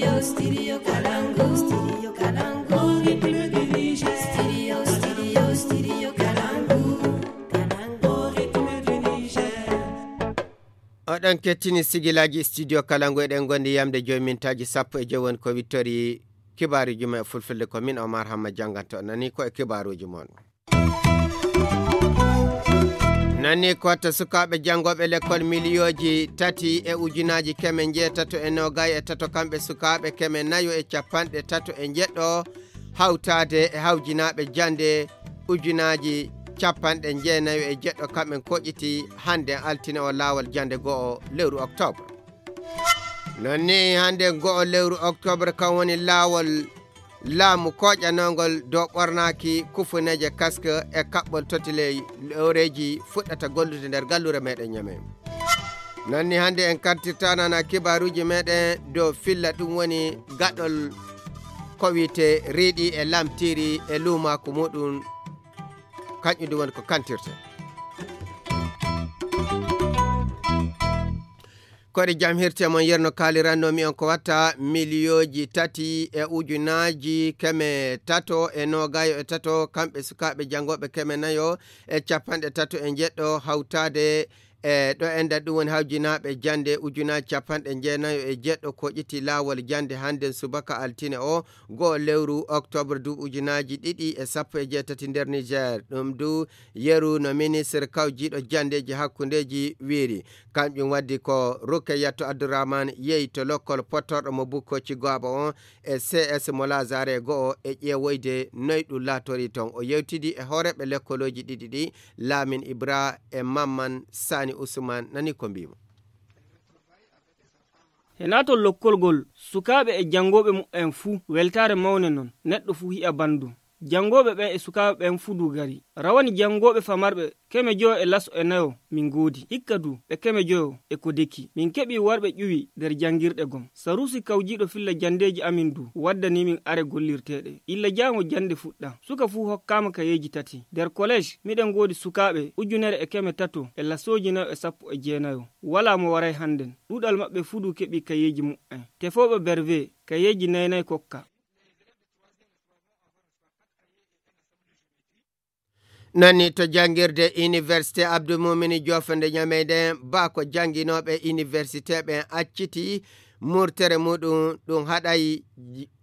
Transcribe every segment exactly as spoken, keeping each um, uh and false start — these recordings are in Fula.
Studio Kalangu, Studio Kalangu, Ritme du Niger. Studio, Studio, Studio Kalangu, Kalangu, Ritme du Niger. Oɗon kettini sigilaaji Studio Kalangu, eɗen ngondi yamde joyi mintaaji sappo e joyi woni ko wittori kibaaruuji men e fulfulde. Ko min Omar Hamma jannganto nani ko e kibaaruuji mon. Nani ko to sukaaɓe janngooɓe lekkol miliyooji tati e ujunaaji keme njeetato e noogay e tato, kamɓe sukaaɓe keme nayo e capanɗe tato e njeɗɗo, hawtaade e hawjinaaɓe jannde ujunaaji capanɗe jeenayo e jeɗɗo, kamɓe koƴiti hannde altine o laawol jannde go'o lewru oktoobre. Noon ni hannde go'o lewru oktoobre kan woni laawol laamu kooƴanoongol dow ɓornaaki kufuneeje kaske e kaɓɓol totiley looreeji fuɗɗata gollude nder gallure meɗen Ñame. Noon ni hannde en kartirta nana kibaaruuji meɗen dow filla ɗum woni gaɗol ko wiyte riiɗi e lamtiiri e luumaaku muɗum, kañƴum ɗum woni ko kantirte. Koɗe jam hirte mon yerno kaaliranno mi on ko watta miliyooji tati e ujunaaji keme tato e noogayo e tato, kamɓe sukaaɓe janngooɓe keme nayo e capanɗe tato e njeɗɗo hawtaade e ɗo enda ɗum woni hawjinaaɓe jannde ujunaaji capanɗe jeenayo e jeɗɗo ko ƴetti laawol jannde hannden subaka altine o go'o lewru oktoobre duuɓi ujunaaji ɗiɗi e sappo e jeetati nder Niger. Ɗum du yeru no ministre kawjiiɗo janndeeji hakkundeeji wiiri. Kamƴum waddi ko Rukeyatu Abdourahmane yehi to lokkol pottorɗo mo Bukkoci Goaba on e C S mo Lazare go'o e ƴeewoyde noy ɗum laatori ton. O yewtidi e hooreeɓe lekkolooji ɗiɗi ɗi, Lamin Ibra e Mamman Sani Usman, nani ko mbiimo. He naatol lokkolgol, sukaaɓe e janngooɓe mu'en fuu, weltaare mawne non, neɗɗo fuu hi'a banndum. Janngooɓe ɓen e sukaaɓe ɓen fuu du gari. Rawani janngooɓe famarɓe keme joyo e laso e nayo min ngoodi. Hikka du ɓe keme joyo e ko deki. Min keɓii warɓe ƴuwi nder janngirɗe gom. Saruusi kawjiiɗo filla janndeeji amin du waddanii min are gollirteeɗe. Illa jaango jannde fuɗɗa. Suka fuu hokkaama kayeeji tati. Nder koleej, miɗen ngoodi sukaaɓe ujunere e keme tato e lasooji nayo e sappo e jeenayo. Walaa mo waray hannden. Ɗuuɗal maɓɓe fuu du keɓii kayeeji mu'en. Tefooɓe berve, kayeeji nay nay kokka. Nani to janngirde Université Abdou Mumini Diouf nde Ñamey nden, ba ko jannginooɓe université ɓen acciti murtere muɗum, ɗum haɗay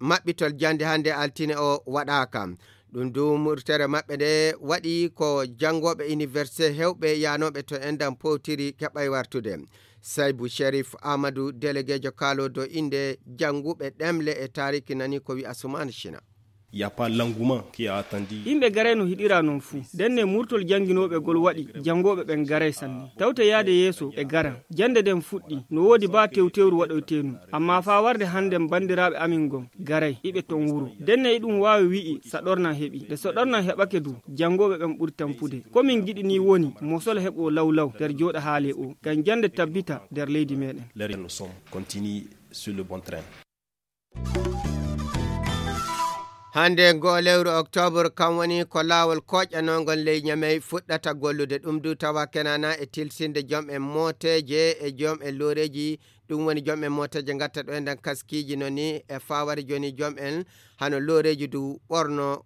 maɓɓitol jannde hannde altine o waɗaaka. Ɗum du murtere maɓɓe nde waɗi ko janngooɓe université hewɓe yaanooɓe to enɗan powtiri keɓay wartude. Saybu Sherif Amadou, déléguéjo kaalodo innde jannguɓe ɗemle e taariki nani ko wi'a Sumaana Shina. Il y a pas l'engouement qui a attendu. Yimɓe garay no hiɗira non fuu. Ndenne murtol jannginooɓe gol waɗi janngooɓe ɓen garay sanne. Tawte yaade yeeso e garan. Jannde nden fuɗɗi. No woodi baa tewtewru waɗoyteenun. Amma faa warde hannden banndiraaɓe amin ngon garay. Iɓe ton wuro. Ndenne iɗum waawi wi'i saɗornan heɓi. Nde saɗornan heɓake du, janngooɓe ɓen ɓuri tampude. Ko min ngiɗi nii woni mosol heɓoo law law nder jooɗa haale o. Ngam jannde tabbita nder leydi meɗen. Les règles sont continue sur le bon train. Hannde ngo lewru oktoobre, kam woni ko laawol kooƴanoongol ley Ñamey fuɗɗata gollude. Ɗum du tawa kenana e tilsinde jom en mooteeje e jom en looreeji. Ɗum woni jom en mooteeje ngatta ɗo e nden kaskiiji no ni e faaware jooni jom en hano looreeji du ɓorno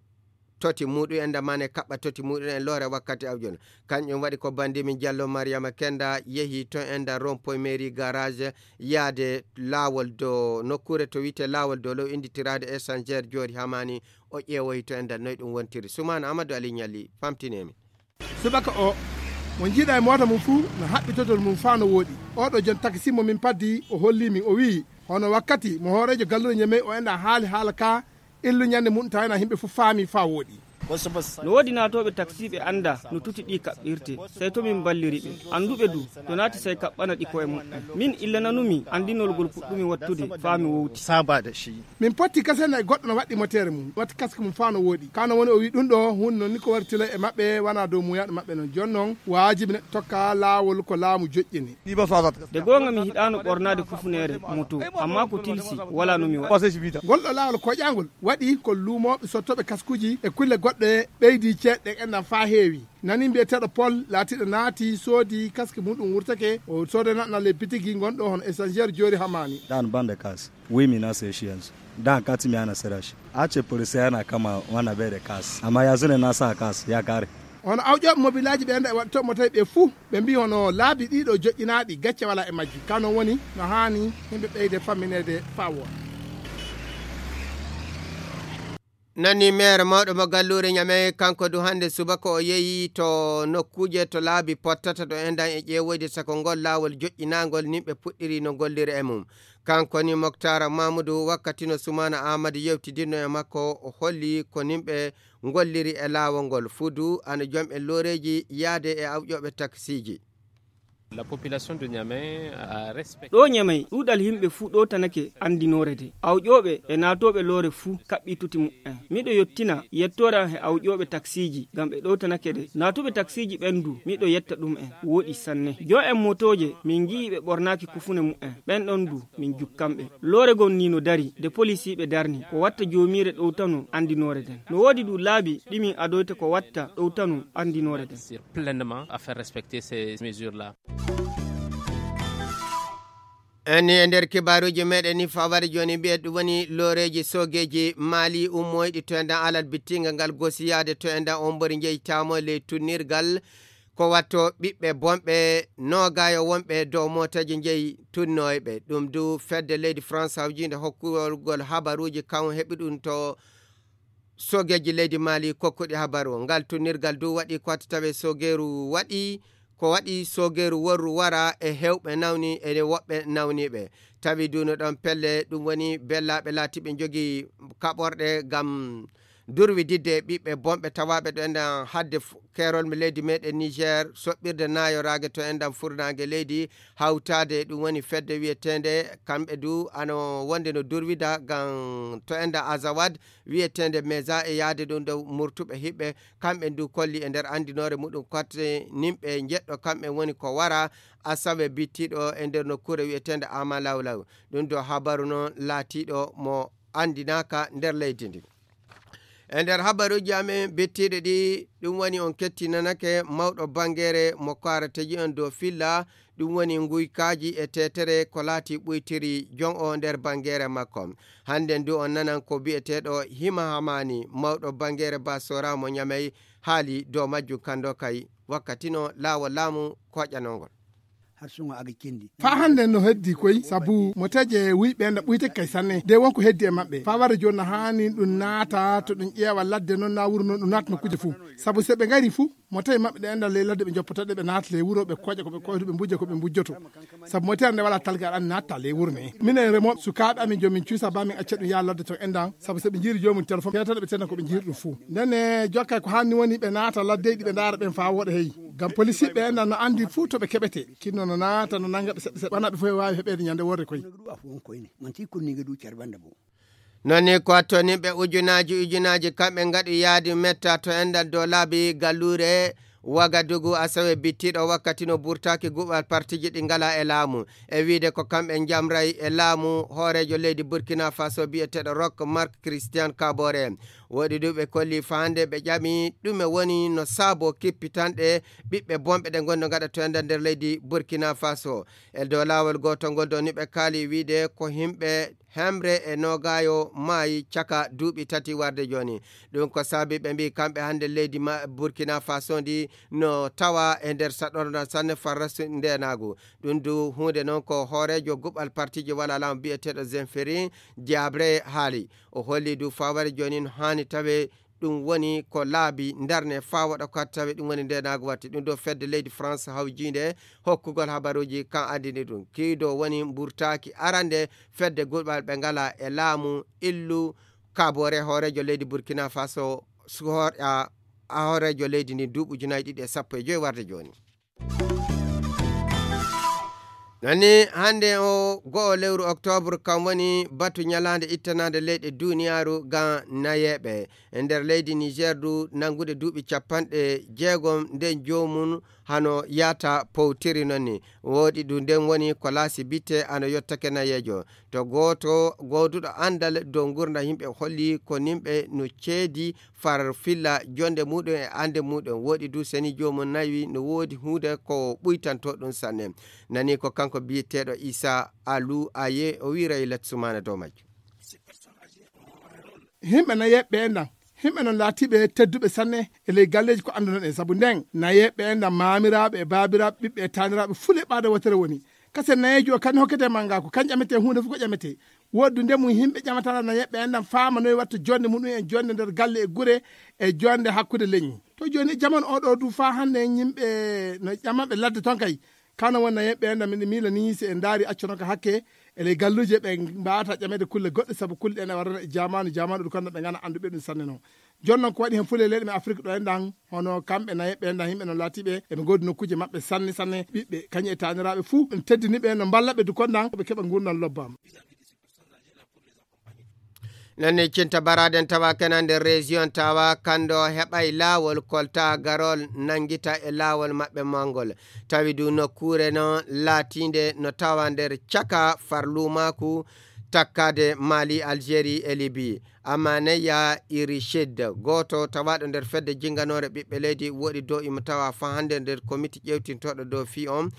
toti muɗum en damane kaɓɓa toti muɗum en loore wakkati awjon. Kanƴum waɗi ko bandi min Jallo Mariama Kenda yehi to en da rond-point mairie garage yaade laawol do nokkuure to wi'ete laawol do low inditiraade échangeur joori hamani o ƴeewoyi to en da noy ɗum wontiri. Sumaana Amadou Ali Ñalli famtinemi. Subaka o, mo njiiɗa e moota mum fuu no haɓɓi totol mum faa no wooɗi. Oɗo jon taksi mo min paddi o holli min o wi'i hono wakkati mo hooreejo gallure Ñamey o enɗa haali haala ka illu ñande mum tawena himɓe fof faami faa wooɗi. No woodi naatooɓe taksiiɓe annda no tuti ɗi kaɓɓirte, sey to min mballiri ɓe. Annduɓe du to naati sey kaɓɓana ɗi koye muɓɓen. Min illa nanumi anndinol ngol puɗɗumi wattude faa mi wowti. Min potti kasena e goɗɗo no waɗɗi moteere mum watti kaske mum faa no wooɗi. Ka no woni o wi ɗum ɗo huunde non ni ko wari tila e maɓɓe wana dow muuyaaɗo maɓɓe non. Jooni non waajibi neɗɗo tokka laawol ko laamu joƴƴini. De goonga mi hiɗaano ɓornaade kufuneere moto, ammaa ko tilsi walaa no mi waɗa. Ngol ɗo laawol koƴaangol waɗi ko luumooɓe sottooɓe kaskuuji e kulle goɗɗe. Ɓe ɓeydi ceeɗe ɗen enɗan faa heewi. Nani mbiyeteeɗo Pol laatiiɗo naati soodi kaski muɗum wurtake, o soodana ɗum ley bitigi gonɗo hono Échangeur Joori Hamaani. Dan bande kas, wimi na seshiyansu. Dan katimi ana serashi. Ace polisi yana kama wana bere kas. Amma yanzu ne na sa kas ya kare. Hono awƴooɓe mobilaaji ɓe enɗan e waɗto mo tawi ɓe fuu. Ɓe mbii hono laabi ɗiɗo joƴƴinaaɗi gacce walaa e majji. Ka non woni no haani yimɓe ɓeyde fammineede faa wooɗa. Nani meere mawɗo mo galluure Ñamey, kanko du hannde subaka o yehi to nokkuuje to laabi pottata ɗo enɗan e ƴeewoyde sako ngol laawol joƴƴinaangol nimɓe puɗɗiri no gollira e mum. Kanko ni Moktaara Mamudu wakkati no Sumaana Aamadu yewtidirno e makko o holli ko nimɓe ngolliri e laawol ngol fuu du ana jom e looreeji yaade e awƴooɓe taksiiji. La population de Niamey a respecté. Ɗo Ñamey, ɗuuɗal yimɓe fuu ɗowtanake anndinoore de. Awƴooɓe e naatooɓe loore fuu kaɓɓii tuti muɓɓen. Miɗo yottina yettoore am he awƴooɓe taksiiji ngam ɓe ɗowtanake de. Naatuɓe taksiiji ɓen du, miɗo yetta ɗum'en. Wooɗi sanne. Jom en motooje, min ngi'ii ɓe ɓornaaki kufune muɓɓen. Ɓen ɗon du, min jukkan ɓe. Loore gon ni no dari, de polisiiɓe darni. Ko watta joomiire ɗowtano anndinoore den. No woodi du laabi ɗi min adoyta ko watta ɗowtano anndinoore den. Sur pleinement à faire respecter ces mesures-là. En ni e nder kibaaruuji meɗen ni fawade jooni mbiye ɗum woni looreeji soogeeji Maali ummoyɗi to enɗan alal bittinga ngal gosiyaade to enɗan on mbori njeyi tamo ley tunnirgal ko watto ɓiɓɓe bonɓe noogayo wonɓe dow mooteeje njeyi tunnooyɓe. Ɗum du fedde leydi France hawjiinde hokkugol habaruuji kan heɓi ɗum to soogeeji leydi Maali kokkuɗi habaru. Ngal tunnirgal du waɗi ko watta tawe soogeeru waɗi, ko waɗi soogeeru worru wara e heewɓe nawni e woɓɓe nawniiɓe. Tawi du no ɗon pelle ɗum woni bellaaɓe laatiiɓe njogii kaɓorɗe ngam durwididde ɓiɓɓe bonɓe tawaaɓe ɗo enɗan hadde f-, keerol mi leydi meɗen Niger, soɓɓirde naayoraage to enɗan furnaange leydi, hawtaade e ɗum woni fedde wiyeteende, kamɓe du ano wonde no durwida ngam to enɗan Azawad, wiyeteende Meza e yaade ɗum dow murtuɓe hiɓɓe, kamɓe du kolli e nder anndinoore muɗum kotte nimɓe njeɗɗo kamɓe woni ko wara asawe bittiɗo e nder nokkuure wiyeteende Ama Lawlaw. Ɗum do habaru noon laatiiɗo mo anndinaaka nder leydi ndi. E nder habaruuji amen bittiiɗi ɗi, ɗum woni on kettinanake mawɗo bangeere mo kaarateji on dow filla, ɗum woni nguykaaji e teetere ko laati ɓuytiri jon o nder bangeere makko. Hannden du on nanan ko bi'eteeɗo Hima Hamani, mawɗo bangeere Basora mo Ñamey, haali dow majjum kando kay wakkati no laawol laamu koƴanol ngol. Har sun aga kendi. Faa hannde no heddi koy, sabu mo teje wuyɓe no ɓuytake kay sanne. De wonko heddi e maɓɓe. Faa wara jooni no haani ɗum naata to ɗum ƴeewa ladde noon na wuro noon ɗum naata nokkuuje fuu. Sabu so ɓe ngari fuu, mo tawi maɓɓe ɗe enɗan ley ladde ɓe njoppoto ɗe ɓe naata ley wuro ɓe koƴa ko ɓe koyto ɓe mbujja ko ɓe mbujjoto. Sabu mo tawi hannde walaa talgal an natta ley wuro ne. Minen remo sukaaɓe amin joom min cuusa ba min acca ɗum yaa ladde to enɗan. Sabu so ɓe njiiri joomum téléphone, peetata ɓe tena ko ɓe njiiri ɗum fuu. Ndene jokkay ko haanni woni ɓe naata laddeeji ɓe ndaara ɓen faa wooɗa hey. Ngam polisiiɓe enɗan no anndi fuu to ɓe keɓete. Kinno no naata no nanga ɓe seɗɗa seɗɗa. Wona ɓe fof e waawi heɓeede ñande worre koy. Manti kunni nge du carbanda bo. Noon ni ko toni ɓe ujunaaji ujunaaji kamɓe ngaɗi yaadi metta to enɗan dow laabi galluure Wagadugu asawe bittiɗo wakkati no burtaaki guɓal partiji ɗi ngala e laamu. E wiide ko kamɓe njamray e laamu hooreejo leydi Burkina Faso biyeteeɗo Rock Marc Christian Kabore. Woɗi du ɓe kolli faande ɓe ƴami ɗume woni no saabo kippitanɗe ɓiɓɓe bonɓe ɗe ngonno ngaɗa to enɗan nder leydi Burkina Faso. E dow laawol gootol ngol ɗo ni ɓe kaali wiide ko himɓe hemre e noogayo maayi caka duuɓi tati warde jooni. Ɗum ko saabi ɓe mbii kamɓe hannde leydi ma-, Burkina Faso ndi no tawa e nder saɗorndan sanne farrasu ndeenaagu. Ɗum du huunde noon ko hooreejo guɓal partiji wala laamu biyeteeɗo Zenferi Diabre haali. O holli du faware jooni no haani tawe ɗum woni ko laabi ndarne faa waɗa ko tawi ɗum woni ndeenaagu watti. Ɗum ɗo fedde leydi France hawjiinde hokkugol habaruuji kan anndini ɗum. Kiido woni mburtaaki arande fedde guɓal ɓe ngala e laamu illu Kabore hooreejo leydi Burkina Faso suhor-, a, a hooreejo leydi ndi duuɓi ujunaaji ɗiɗi e sappo e joy warde jooni. Nani hannde o go'o lewru octobre kam woni batu ñalaande ittanaande leyɗe duniyaaru ga nayeeɓe. E nder leydi Niger du nanngude duuɓi capanɗe jeegom nden joomum hano yaata powtiri noon ni. Woɗi ɗum nden woni ko laasi bitte ano yottake nayeejo. To gooto gooduɗo anndal dow ngurndan yimɓe holli ko nimɓe no ceedi far filla jonde muɗum e annde muɗum. Woɗi du seni joomum nawi no woodi huunde ko ɓuytanto ɗum sanne. Nani ko kanko biyeteeɗo Isa Alu Aye o wiira e Lat Sumana dow majjum. Himɓe nayeɓɓe en ɗan, himɓe non laatiɓe tedduɓe sanne e ley galleeji ko anndunoɗen. Sabu nden, nayeɓɓe en ɗan, maamiraaɓe e baabiraaɓe, ɓiɓɓe e taaniraaɓe, fuu leɓɓaade wootere woni. Kasen nayeejo o, kan hokkete mannga ko, kan ƴamete huunde fof ko ƴamete. Woɗɗunde mum, himɓe ƴamatara nayeɓɓe en ɗan, faama noy watta jonde muɗum en, jonde nder galle e gure, e jonde hakkunde leñi. To jooni, e jaman o ɗo du, faa hannde en yimɓe no ƴamaɓe ladde ton kay. Kano wonna yeɓɓe en, min miila ni, si en ndaari accono ka hakke, e ley galluuje ɓe mbaawata ƴameede kulle goɗɗe, sabu kulle ɗen e warana e jaamaanu, jaamaanu ɗum kono ɓe ngana annduɓe ɗum sanne non. Jooni non ko waɗi hen fulɓe leyɗe men Afrik ɗo en ɗan, hono kamɓe na yeɓɓe en ɗan, yimɓe no laatiɓe, eɓe ngoodi nokkuuje maɓɓe sanne, sanne, ɓiɓɓe, kañum e taaniraaɓe fuu, en teddini ɓe, no mballa ɓe du kon ɗan, ɓe keɓa ngurndan lobbaama. Nani cinta baraden tawa kena nder région tawa kando heɓay laawol kolta garol nangita e laawol maɓɓe mangol. Tawi du nokkuure no laatinde no tawa nder caka farlumaku takkade Mali, Algérie e Libye. Amaneya Irishid, gooto tawaaɗo nder fedde jinnganoore ɓiɓɓe leydi, woɗi dow imo tawa faa hannde nder komiti ƴeewtintooɗo dow fii on.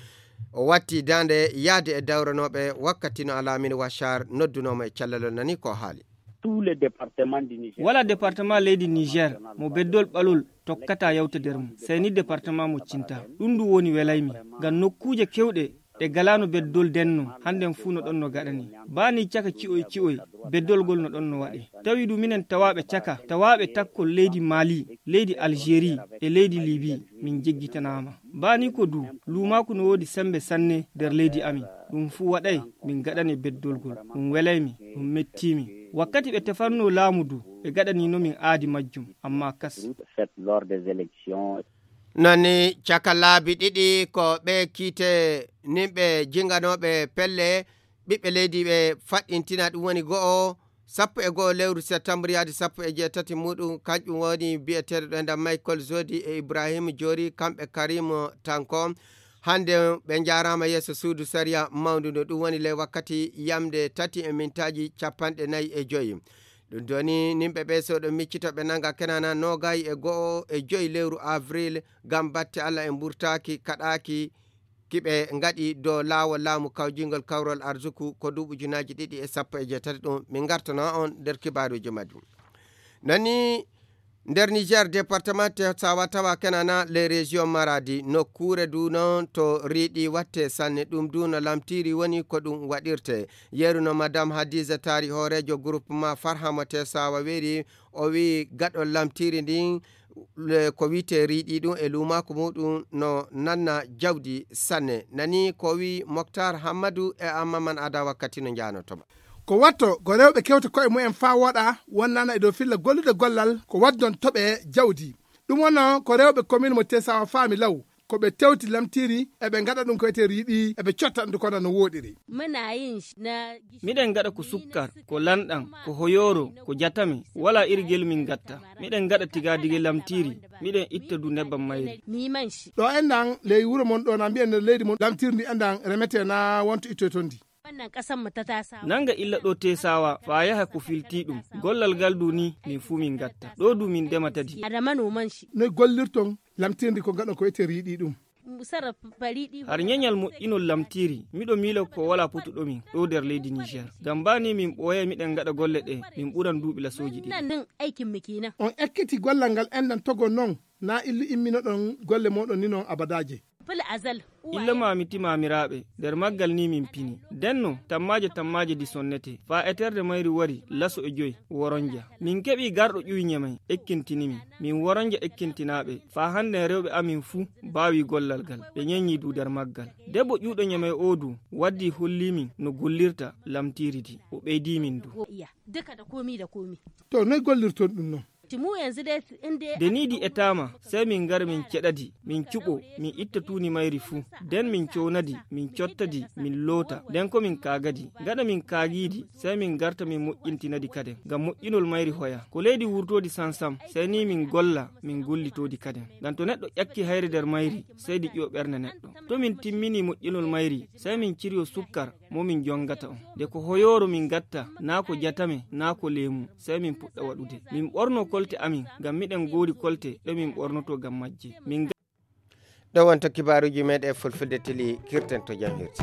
O watti daande yahde e dawranooɓe wakkati no Alamine Wachar noddunoo mo e cellal, o nani ko haali. Tous les départements du Niger. Wala département leydi Niger mo beddol ɓalol tokkata yawta nder mum, sey ni département mo Cinta. Ɗum ndu woni welaymi, ngam nokkuuje kewɗe ɗe galaano beddol denno, hannden fuu no ɗon no gaɗani. Baa ni caka ci'oy ci'oy, beddol ngol no ɗon no waɗe. Tawi du minen tawaaɓe caka, tawaaɓe takkol leydi Mali, leydi Algérie e leydi Libye, min jeggitanaama. Baa ni ko du, luumaaku no woodi semmbe sanne nder leydi amin. Ɗum fuu waɗay min gaɗane beddol ngol. Ɗum welaymi, ɗum mettiimi. Wakkati ɓe tefanno laamu du, ɓe gaɗanino min aadi majjum, ammaa kas. Faites lors des élections. Nani caka laabi ɗiɗi ko ɓe kiite nimɓe jinganooɓe pelle ɓiɓɓe leydi ɓe faɗɗintina, ɗum woni go'o, sappo e go'o lewru septembre yaade sappo e jeetati muɗum, kanƴum woni biyeteeɗo ɗo enda Michael Zodi e Ibrahim Jori, kamɓe Karim Tanko. Hannde ɓe njaaraama yeeso suudu sariya mawndu ndu, ɗum woni ley wakkati yamde tati e mintaaji capanɗe nayi e joyi. Ɗum doni nimɓe ɓe so ɗo miccito ɓe nanga kenana noogay e go'o e joyi lewru avril, ngam batte Alla e mburtaaki kaɗaaki kiɓe ngaɗi dow laawol laamu kawjingol kawrol arzuku ko duuɓi ujunaaji ɗiɗi e sappo e jeetati. Ɗum min ngartana on nder kibaaruuji majjum. Nani nder Niger, département Tesawa tawa kenana les régions Maradi, nokkuure du noon to riiɗi watte sanne, ɗum du no lamtiri woni ko ɗum waɗirte. Yeru no Madame Hadiza Tari, hooreejo groupement Farhamo Tesawa weeri, o wi gaɗol lamtiri ndin, le-, ko wiite riiɗi ɗum e luumaaku muɗum no nanna jawdi sanne. Nani ko wi Moktar Hammadu e Ammaman Ada wakkati no njaanoto ma. Ko watto ko rewɓe kewta koye mumen faa wooɗa, wonnana e dow filla gollude gollal ko waddon toɓe jawdi. Ɗum wonno ko rewɓe commune mo Tesawa faami law, ko ɓe tewti lamtiri, eɓe ngaɗa ɗum ko wiyetee riiɗi, eɓe cotta ɗum kono no wooɗiri. Miɗen ngaɗa ko sukkar, ko lanɗam, ko hoyooro, ko jatame, wala iri gel min ngatta. Miɗen ngaɗa tigadige lamtiri, miɗen itta du nebbam mayri. Ɗo enɗan ley wuro mon ɗo na mbiyen nder leydi mon lamtiri ndi enɗan remete na wonto ittoy ton ndi. Nanga illa ɗo Tesawa, faa yaha ko filti ɗum. Gollal ngal du ni, min fuu min ngatta. Ɗo du min ndema tadi. Noy gollirton lamtirndi ko ngaɗon ko wiyetee riiɗi ɗum? Har ñeñal moƴƴinol lamtiri, miɗo miila ko wala potuɗo min ɗo nder leydi Niger. Ngam baa ni min ɓooyay miɗen ngaɗa golle ɗe, min ɓuran duuɓi lasooji ɗiɗi. On ekkiti gollal ngal enɗan togo non, na illu imminoɗon golle mooɗon ni non abadaaje. Illa maami ti maamiraaɓe, nder maggal ni min pini. Denno, tammaaje tammaaje di sonnete, faa eterde mayri wari laso e joy, woronja. Min keɓi garɗo ƴuwi ñamay, ekkintini min. Min woronja ekkintinaaɓe, faa hannden rewɓe amin fuu baawi gollal gal, ɓe ñeñi du nder maggal. Debbo ƴuuɗo ñamay oo du, waddi holli min no gollirta lamtiri di, o ɓeydi min du. To, noy gollirton ɗum non? Nde nii ɗi etaama, sey min ngara min ceɗa di, min cuɓo, min itta tuundi mayri fuu. Nden min cowna di, min cotta di, min loota. Nden ko min kaaga di. Gaɗa min kaagii di, sey min ngarta min moƴƴintina di kaden. Ngam moƴƴinol mayri hoya. Ko leydi wurtoodi sam-sam, sey nii min ngolla, min ngullitoo di kaden. Ngam to neɗɗo ƴakkii hayre nder mayri, sey di ƴiwo ɓernde neɗɗo. To min timminii moƴƴinol mayri, sey min ciryo sukkar mo min njongata on. Nde ko hoyooro min ngatta, naa ko jatame, naa ko leemu, sey min puɗɗa waɗude. Min ɓorno kolte amin, ngam miɗen ngoodi kolte ɗe min ɓornoto ngam majje. Min nga- Ɗo wonto kibaaruuji meeɗen Fulfulde Teli kirten to jam hirti.